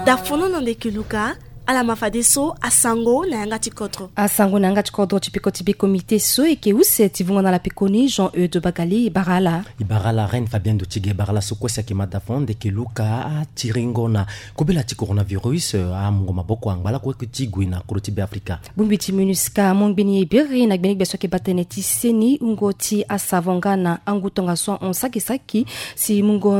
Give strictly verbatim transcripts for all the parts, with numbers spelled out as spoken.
Dafono na ndeke luka. Ala ma fadeso asango na yanga ti kodro. Asango na yanga ti kodro ti peko ti be komite so eke use ti vungo na ala pekoni Jean Eude Bagali. E bara ala. E bara ala Reine Fabien Dotige. E bara ala so kue si ayeke ma dafono ndeke luka atiringo na kobela ti coronavirus, eh, amungo maboko angba lakue ti gue na kodro ti be Afrika. Bongbi ti MINUSCA amu ngbeni ebiri na gbenegbia so ayeke baa tënë ti seni wungo ti asavon nga na angu tongaso ahon saki saki si mungo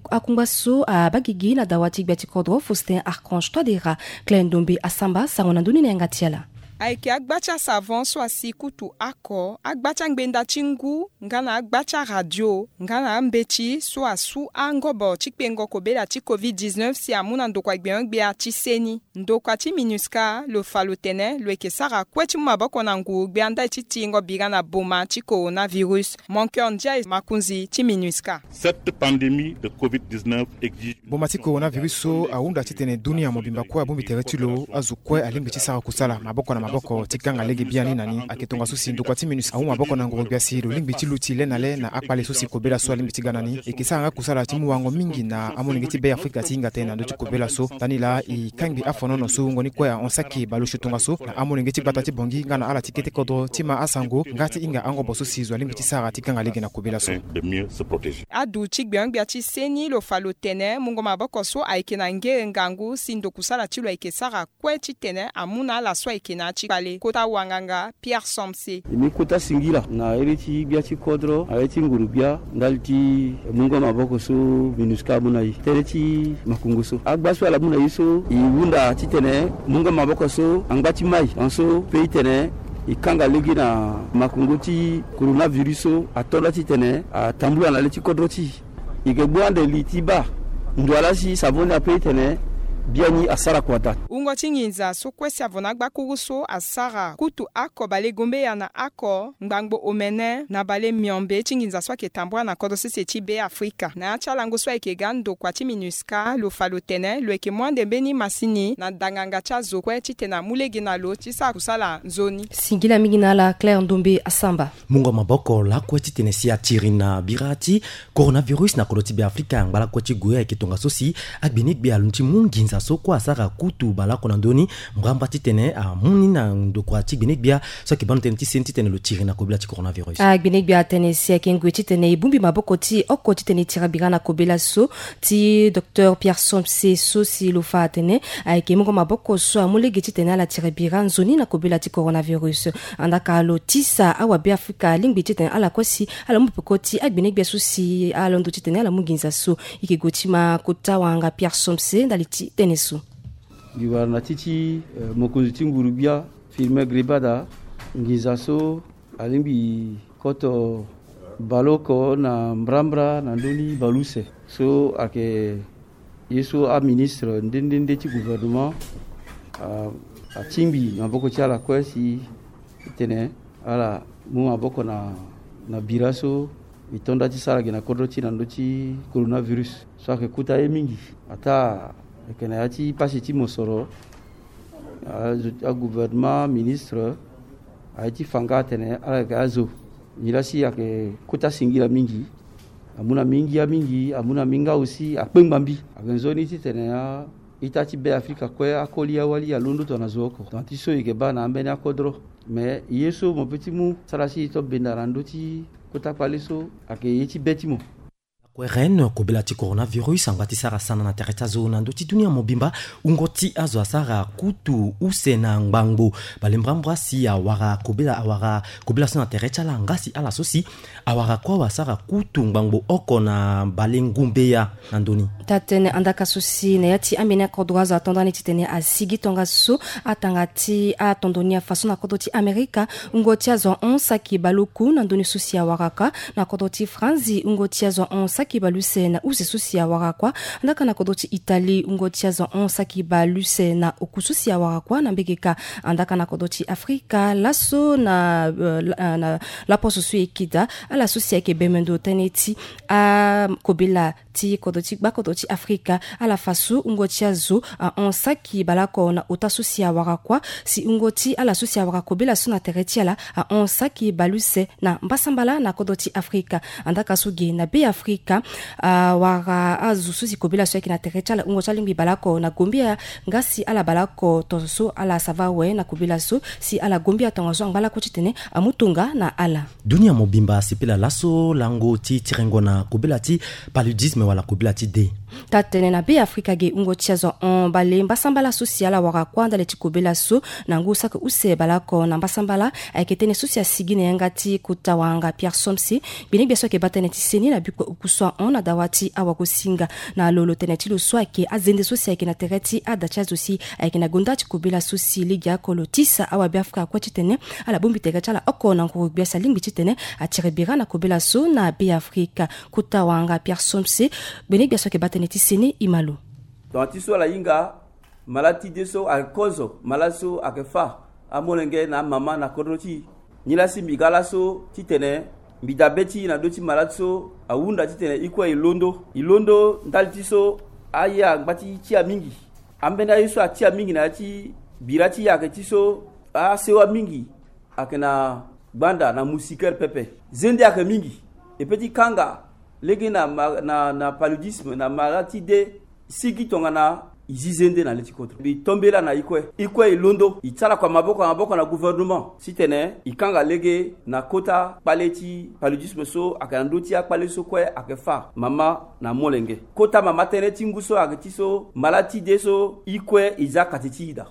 akungba so abaa gigi na dawa ti gbia ti kodro Faustin Archange Touadéra. Claire Ndombe Asamba sango na ndoni na yanga ti ala. Ayeke agba ti asavon so asi kutu ako, agba ti angbenda ti ngu nga na agba ti aradio nga na ambeti so asu angobo ti kpengo kobela ti covid dix-neuf si amu na ndokua gbenyogbia ti seni. Ndokua ti MINUSCA lo fa lo tene lo yeke sara kue ti mu maboko na nguru-gbia ndali ti tiringo bira na boma ti coronavirus. Mon cœur ndiaye, makonzi ti MINUSCA. Cette pandémie de covid dix-neuf exige. Boma ti coronavirus so ahunda titene dunia mobimba kue abongbi tere ti lo azo kue alingbi ti sara kusala maboko na maboko ti kanga lege biani na ni. Ayeke tongaso si ndokua ti MINUSCA amu maboko na nguru-gbia si lo lingbi ti luti le na le na akpale so si kobela so alingbi ti ga na ni. E yeke sara nga kusala ti mu wango mingi na amolenge ti be Afrika ti hinga tënë na ndö ti kobela so. Ndani laa e kangbi afonono so wungo ni kue ahon saki baleuse tongaso na amolenge ti gbata ti Bangui nga na ala ti kete kodro ti ma asango nga ti hinga angobo so si zo alingbi ti sara ti kanga lege na kobela so. De mieux se protéger. Adu ti gbenyogbia ti seni lo fa lo tene mungo maboko so ayeke na ngere ngangu si ndokusala ti lo ayeke sara kue titene amu na ala so ayeke na ya ti kpale. Kota wanganga Pierre Somse. E mu kota singila na iri ti gbia ti kodro, na iri ti nguru-gbia ndali ti mungo maboko so MINUSCA amu na e. Tere ti makongo so, agba so ala mu na e so, e hunda titene mungo maboko so angba ti mai, anso pe itene e kanga lege na makongo ti coronavirus so ato nda titene atambula na le ti kodro ti e. E yeke gbu ande li ti baa ndo ala si savon ni ape itene biani asara kua daa. Wungo ti nginza so kue si avona gbakuru so asara kutu ako bale gombeya na ako ngbangbo omene na bale miombe ti nginza so ayeke tambula na kodro sese ti be Afrika. Na ya ti alango so ayeke ga ndokua ti MINUSCA lo fa lo tene lo yeke mu ande mbeni masini na danganga ti azo kue titene amu lege na lo ti sara kusala nzoni. Singila mingi na ala Claire Ndombe Asamba. Mungo maboko lakue titene si atiri na bira ti coronavirus na kodro ti be Afrika angba lakue ti gue ayeke tongaso si agbenegbia alondo ti mu nginza so kue asara kutu baleoko na ndö ni mbrambra titene amu ni na ndokua ti gbenegbia so ayeke baa ndo tënë ti seni titene lo tiri na kobela ti coronavirus. Agbenegbia atene si ayeke ngoi titene e bongbi maboko ti e oko titene e tira bira na kobela so. Ti docteur Pierre Somse so si lo fa atene ayeke mungo maboko so amu lege titene ala tira bira nzoni na kobela ti coronavirus. Andaka lo tisa awabe Afrika alingbi titene ala kue si ala mu peko ti agbenegbia so si ala londo titene ala mu nginza so. E yeke gue ti ma kota wanganga Pierre Somse ndali ti tënë so. Mbi wara na ti ti, eh, mokonzi ti nguru-gbia Firmin Grébada, nginza so alingbi koto baleoko na mbrambra na ndö ni baleuse. So ayeke ye so aministre nde nde nde ti gouvernement a, atingbi maboko ti ala kue si titene ala mu maboko na, na bira so e to nda ti sara gi na kodro ti e na ndö ti coronavirus. So ayeke kota ye mingi. Ataa ayeke na ya ti pasi ti mosoro, a, agouvernement, ministre aye ti fa nga atene ala yeke azo. Nilaa si ayeke kota singila mingi. Amu na mingi ya mingi, amu na mingi aussi akpengba mbi. Ayeke nzoni titene a-ita ti be Afrika kue akoli awali alondo tongana zo oko. Tongana ti so e yeke baa na ambeni akodro. Me ye so mo pe ti mu sara si e to benda na ndö ti kota kpale so ayeke ye ti be ti mo. Lakue Reine, kobela ti coronavirus angba ti sara sana na tere ti azo na ndö ti dunia mobimba. Wungo ti azo asara kutu use na ngbangbo balembrambra si awara kobela, awara kobela so na tere ti ala nga si ala so si awara kua wasara kutu ngbangbo oko na bale ngumbeya na ndö ni. Taa-tënë andaka so si na ya ti ambeni akodro azo ato ndani titene asigi tongaso atanga ti atondo ni afa so na kodro ti Amerika. Wungo ti azo ahon saki baleoku na ndö ni so si awara kua. Na kodro ti Franzi, wungo ti azo ahon saki baleuse na use so si awara kua. Andaka na kodro ti Italie, wungo ti azo ahon saki baleuse na oku so si awara kua na mbege kâ. Andaka na kodro ti Afrika, laso na, eh, la, eh, na laposo so e yeke daa, ala so si ayeke bembe ndo tënë ti akobela ti kodro ti gbakodro ti Afrika, ala fa so wungo ti azo ahon saki baleoko na ota so si awara kua, si wungo ti ala so si awara kobela so na tere ti ala ahon saki baleuse na mbasambala na kodro ti Afrika. Andaka so ge na Be Afrika, awara azo so si kobela so ayeke na tere ti ala hungo ti alingbi baleoko na gombia nga si ala baleoko tongaso ala sava awe na kobela so si ala gombia tongaso angba lakue titene amu tonga na ala. Dunia mobimba asepela laso lango ti tirengo na kobela ti paludisme wala kobela ti de. Taa tene na Be Afrika ge hungo ti azo hon bale mbasambala so si ala wara kuâ ndali ti kobela so na ngu saki use baleoko na mbasambala ayeke tënë so si asigi na yanga ti kota wahanga Pierre Somse. Gbenegbia so ayeke baa tënë ti seni na bikua oku so ahon na dawa ti awagosinga. Na lo lo tene ti lo so ayeke azende so si ayeke na tere ti ada ti azo si ayeke na gonda ti kobela so si legeoko lo tisa awabeafrika kue titene ala bongbi tere ti ala oko na nguru-gbia si alingbi titene atiri bira na kobela so na Be Afrika. Kota wahanga Pierre Somse, gbenegbia so ayeke baa tënë ti seni e ma lo. Tongana ti so ala hinga malade ti de so ayeke kozo malade so ayeke fâ amolenge na amama na kodro ti e. Nilaa si mbi ga laso titene mbi dabe ti e na ndö ti malade so ahunda titene e kue e londo e londo ndali ti so aye angba ti tia mingi. Ambeni aye so atia mingi na ya ti bira ti e ayeke ti so asewa mingi ayeke na gbanda na moustiquaire pepe. Zende ayeke mingi. E pe ti kanga lege na, ma- na, na paludisme na malade ti de sigi tongana e zi zende na le ti kodro. Mbi tombela na e kue e kue e londo e ti ala kua maboko na maboko na gouvernement titene e kanga lege na kota kpale ti paludisme so ayeke na ndö ti akpale so kue ayeke fâ mama na molenge. Kota mama tënë ti ngu so ayeke ti so malade ti de so e kue e za kati ti e daa.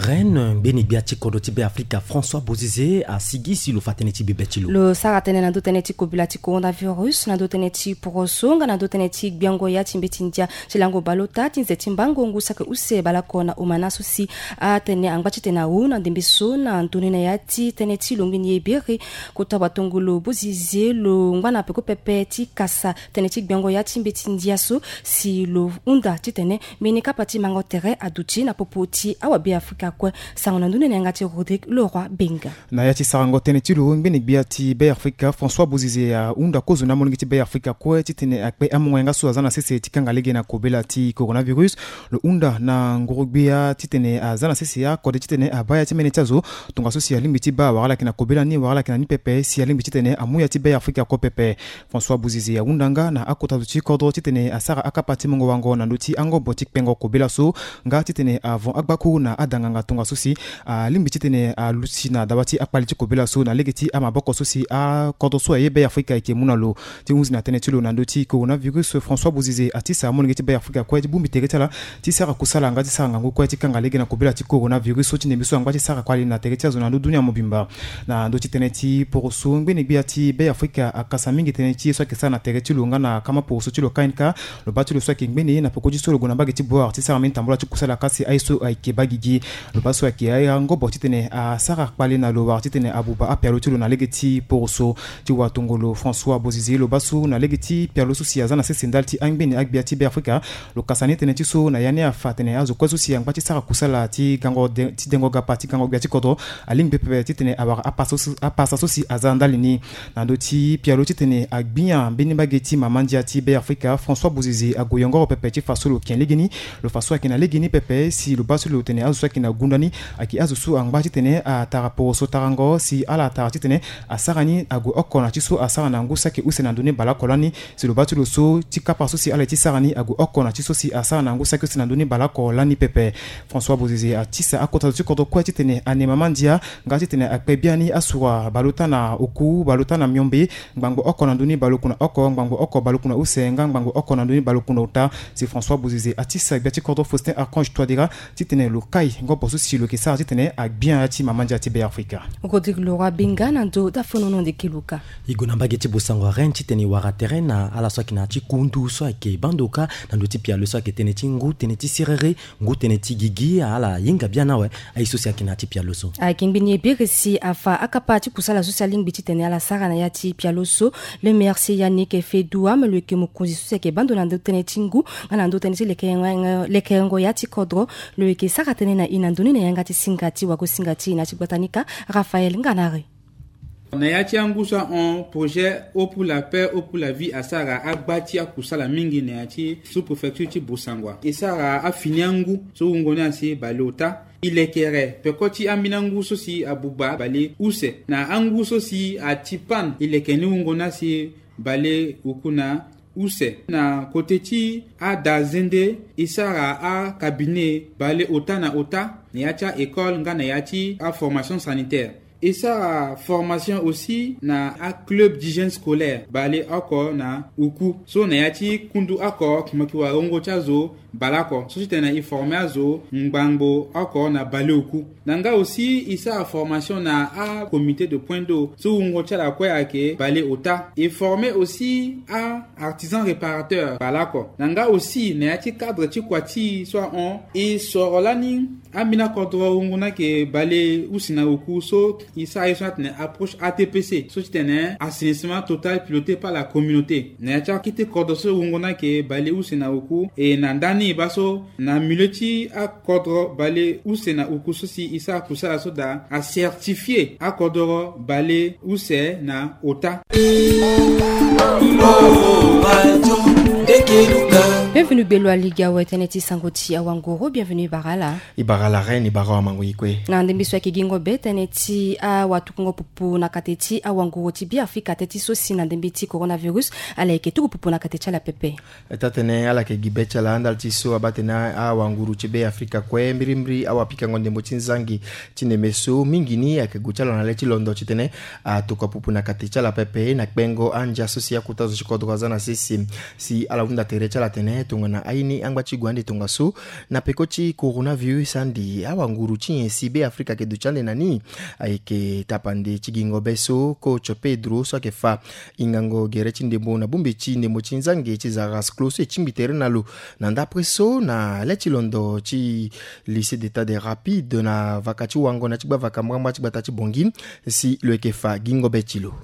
Reine ngbeni gbia ti kodro ti Be Afrika François Bozizé asigi si lo fa tënë ti bebe ti lo. Lo sara tënë na ndö tënë ti kobela ti coronavirus na ndö tënë ti poroso nga na ndö tënë ti gbiango ya ti mbeti ndia ti lango baleota ti nze ti mbango ngu saki use baleoko na omana so si atene angba titene awu na ndembe so na ndoni na ya ti tënë ti lo ngbeni ye biri. Kota watongolo Bozizé lo ngba na peko pepe ti kasa tënë ti gbiango ya ti mbeti ndia so si lo hunda titene mbeni kapa ti mango tere aduti na popo ti awabeafrika kue. Sango na ndoni na yanga ti Rodrigue Leroy Benga. Na ya ti sarango tënë ti lo ngbeni gbia ti Be Afrika François Bozizé ahunda kozo na amolenge ti Be Afrika kue titene akpe amongo yanga so aza na sese ti kanga lege na kobela ti coronavirus. Lo hunda na nguru-gbia titene aza na sese akode titene abaa ya ti mene ti azo tongaso si alingbi ti baa wala ala yeke na kobela ni wala ala yeke na ni pepe si alingbi titene amu ya ti Be Afrika kue pepe. François Bozizé ahunda nga na akota zo ti kodro titene asara akapa ti mungo wango na ndö ti angobo ti kpengo kobela so nga titene avon agbaku na adanganga tongaso si alingbi titene aluti na dawa ti akpale ti kobela so na lege ti amaboko so si akodro so aye Be Afrika ayeke mu na lo. Ti hunzi na tënë ti lo na ndö ti coronavirus François Bozizé atisa amolenge ti Be Afrika kue ti bongbi tere ti ala ti sara kusala nga ti sara ngangu kue ti kanga lege na kobela ti coronavirus so ti ndembe so angba ti sara kpale na tere ti azo na ndö dunia mobimba. Na ndö ti tënë ti poroso ngbeni gbia ti Be Afrika akasa mingi tënë ti ye so ayeke sara na tere ti lo nga na kama poroso ti lo K N K. Lo baa ti lo so ayeke ngbeni na peko ti so lo gue na mbage ti Bouar ti sara mbeni tambula ti kusala kasi aye so ayeke baa gigi. Lo baa so ayeke aye angobo titene asara kpale na lo wala titene abuba apialo ti lo na lege ti poroso. Ti watongolo François Bozizé lo baa so na lege ti pialo so si aza na sese ndali ti angbeni agbia ti Be Afrika. Lo kasa ni tënë ti so na ya ni afa atene azo kue so si angba ti sara kusala ti gango de- ti dengo gapa ti gango gbia ti kodro alingbi pepe titene awara apasa so- apasa so si aza ndali ni. Na ndö ti pialo titene agbia mbeni mbage ti mama ndia ti Be Afrika François Bozizé ague yongoro pepe ti fa so lo ken legeni. Lo fa so ayeke na legeni pepe si lo baa so lo tene azo so ayeke na gunda ni ayeke azo so angba titene atara poroso tarango si ala tara titene asara ni ague oko na ti so asara na ngu saki use na ndö ni baleoko lani. Si lo baa ti lo so ti kapa so si ala ye ti sara ni ague oko na ti so si asara na ngu saki use na ndö ni baleoko lani pepe. François Bozizé atisa akota zo ti kodro kue titene ane mama ndia nga titene akpe biani asura baleota na oku baleota na miombe, ngbangbo oko na ndö ni baleoku na oko, ngbangbo oko baleoku na use nga ngbangbo oko na ndö ni baleoku na ota. Si François Bozizé atisa gbia ti kodro Faustin Archange Touadéra titene lo kai ngobo so si lo yeke sara titene agbia ya ti mama ndia ti Be Afrika. Rodrigue Leroy Benga na ndö dafonono ndeke luka. E gue na mbage ti Bossangoa Reine titene e wara tere na ala so ayeke na ya ti kundu so ayeke baa ndoka na ndö ti pialo so ayeke tënë ti ngu, tënë ti siriri, ngu, tënë ti gigi. Ala hinga biani awe aye so si ayeke na ya ti pialo so. Ayeke ngbeni ye biri si afa akapa ti kusala so si alingbi titene ala sara na ya ti pialo so. Le maire si Yannick Fedou Ham lo yeke mokonzi so si ayeke baa ndo na ndö tënë ti ngu nga na ndö tënë ti lekerengo- lekerengo ya ti kodro. Lo yeke sara tënë na e na ndoni na yanga ti singa ti wagosinga ti e na ya ti gbata ni ka. Raphaël Nganari. Na ya ti angu so ahon, projet Eau pour la paix, Eau pour la vie asara agba ti akusala mingi na ya ti sous-préfecture ti Bossangoa. E sara afini angu so wungo ni asi baleota. E lekere peko ti ambeni angu so si abuba bale use na angu so si ati pan e leke ni wungo ni asi bale oku na use. Na kote ti ada zende e sara acabinet bale ota na ota na ya ti a-école nga na ya ti aformation sanitaire. E sara formation aussi na aclub d'hygiène scolaire bale oko na oku so na ya ti kundu oko mo yeke wara wungo ti azo baleoko so ti tene e forme azo ngbangbo oko na baleoku. Na nga aussi e sara formation na acomité de point d'eau so wungo ti ala kue ayeke baleota. E forme aussi a-artisan réparateur baleoko. Na nga aussi na ya ti cadre ti kua ti e so ahon e soro lani ambeni akodro wungo ni ayeke baleuse na oku so e sara ye so ni atene approche A T P C so ti tene assainissement total piloté par la communauté. Na ya ti akete kodro so wungo ni ayeke baleuse na oku e na ndani e baa so na milieu ti akodro baleuse na oku so si e sara kusala so daa acertifie akodro baleuse na ota. Bienvenue belo aliga awe tënë ti sango ti awanguru. Bienvenue bara ala. E bara ala reine, e bara awamango e kue. Na ndembe so ayeke gingo be tënë ti awatukungo pupu na kate ti awanguru ti Beafrika tënë ti so si na ndembe ti coronavirus ala yeke tuku pupu na kate ti ala pepe. Taa-tënë ala yeke gi be ti ala ndali ti so abaa tënë awanguru ti Beafrika kue mbirimbiri awapikango ndembo ti nzangi ti ndembe so mingi ni ayeke gue ti ala na le ti londo titene atokua pupu na kate ti ala pepe na kpengo andia so si akota zo ti kodro aza na sese. Si ala hunda tere ti ala tene tongana aye ni angba ti gue ande tongaso na peko ti coronavirus ande awanguru ti nyen si Beafrika ayeke duti ande na ni. Ayeke tapande ti gingo be so coach Pedro so ayeke fa ingango gere ti ndembo na bongbi ti ndembo ti nzangi ti Zaras Clos so e tingbi tere na lo na ndapre so na le ti londo ti lycée d'état des rapides na vaka ti wango na ya ti gbavaka mbrambra ti gbata ti Bangui si lo yeke fa gingo be ti lo.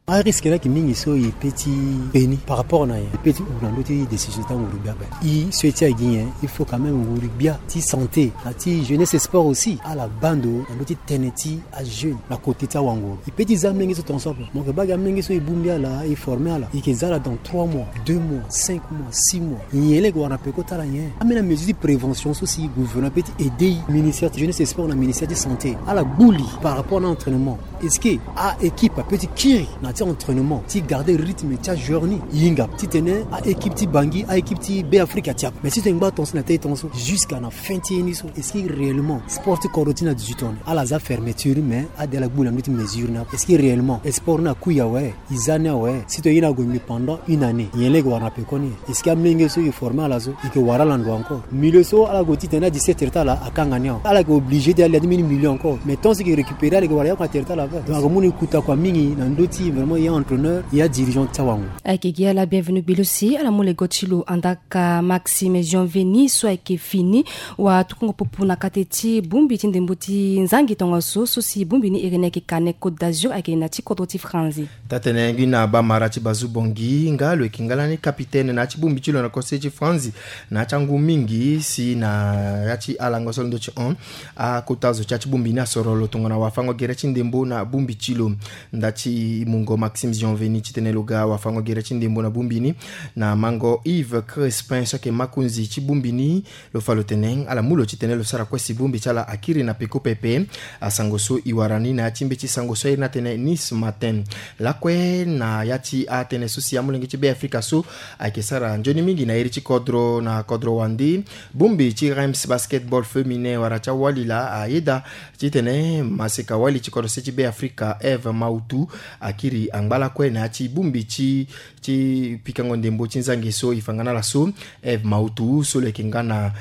Arisque ni ayeke mingi so e pe ti pe ni par rapport na nyen? E pe ti hunda na ndö ti décision ti anguru gbia ape. E so e ti aye gi nyen? Il faut quand même nguru gbia ti santé na ti jeunesse et sport aussi ala baa ndo na ndö ti tënë ti ajeune na côté ti awanguru. E pe ti za amolenge so tongaso ape. Mo yeke baa gi amolenge so e bongbi ala, e forme ala, e yeke za ala dans trois mois, deux mois, cinq mois, six mois. Nyen laa e yeke wara na peko ti ala nyen? Ambeni amesure ti prévention so si gouvernement ape ti aide e, ministère ti jeunesse et sport na ministère ti santé ala gbu li par rapport na entraînement. Est-ce que a-équipe ape ti kiri na ti entraînement ti garder rythme ti ajoueur ni? E hinga titene a-équipe ti Bangui, a-équipe ti Beafrika ti ape. Mais si tene ngba tongaso na tënë ti tongaso jusqu'à na fin ti ye ni so, est-ce que réellement sport ti kodro ti ni na dix-huit ans ni ala za fermeture mais ade ala gbu na ndö ti mesure ni ape? Est-ce que réellement sport ni akui awe? E za ni awe? Si tongana e na gue mbi pendant une année, nyen laa e yeke wara na peko ni? Est-ce que amolenge so e forme ala so e yeke wara ala ndo encore? Milieu so ala gue titene adise tere ti ala akanga ni awe. Ala yeke obligé ti alia ti mbeni milieu encore. Mais tant so e yeke récupérer ala yeke wara ya kua tere ti ala ape. Donc ayeke mu na e kuta kua mingi na ndö ti vraiment ya entraîneur ya dirigeant ti awanguru. Ayeke gi ala bienvenu gbilo si ala mu lego ti lo andaa ka Maxime Jean Veni so ayeke fini watukungo pupu na kate ti bongbi ti ndembo ti nzangi tongaso so si bongbi ni iri ni ayeke Canet Côte d'Azur ayeke na ti kodro ti Franzi. Taa-tënë ngbina Bamara ti Bazu Bongi nga lo yeke nga lani capitaine na ya ti bongbi ti lo na kose ti Franzi na ya ti angu mingi si na ya ti alango so alondo ti hon akota zo ti ya ti bongbi ni asoro lo tongana wafango gere ti ndembo na bongbi ti lo. Nda ti mungo Maxime Jean Veni titene lo ga wafango gere ti ndembo na bongbi ni na mango Yves Crespin so ayeke makonzi ti bongbi ni. Lo fa lo tene ala mu lo titene lo sara kue si bongbi ti ala akiri na peko pepe. Asango so e wara ni na ya ti mbeti sango so airi ni atene Nice Matin. Lakue na ya ti atënë so si amolenge ti Beafrika so ayeke sara nzoni mingi na iri ti kodro na kodro wande. Bongbi ti Reims Basketball Féminin wara ti awali laa ayeda titene maseka wali ti kodro se ti Beafrika Eve Mautu akiri angba lakue na ya ti bongbi ti ti pikango ndembo ti nzangi so e fa nga na ala so. Eve Mautu so lo yeke nga na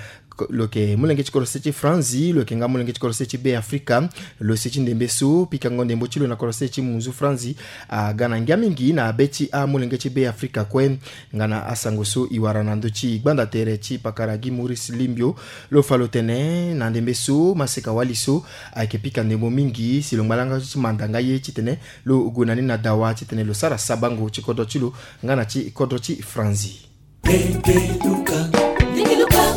lo yeke molenge ti kodro se ti Franzi, lo yeke nga molenge ti kodro se ti Beafrika. Lo se ti ndembe so pikango ndembo ti lo na kodro se ti munzu Franzi aga na ngia mingi na be ti amolenge ti Beafrika kue. Nga na asango so e wara na ndö ti gbanda tere ti pakara Guy Maurice Limbio, lo fa lo tene na ndembe so maseka wali so ayeke pika ndembo mingi si lo ngba langa ti manda nga ye titene lo gue na ni na dawa titene lo sara sabango ti kodro ti lo nga na ti kodro ti Franzi.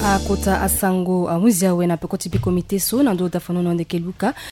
Akota asango ahunzi awe na peko ti bikomite so na ndö dafanono ndeke luka.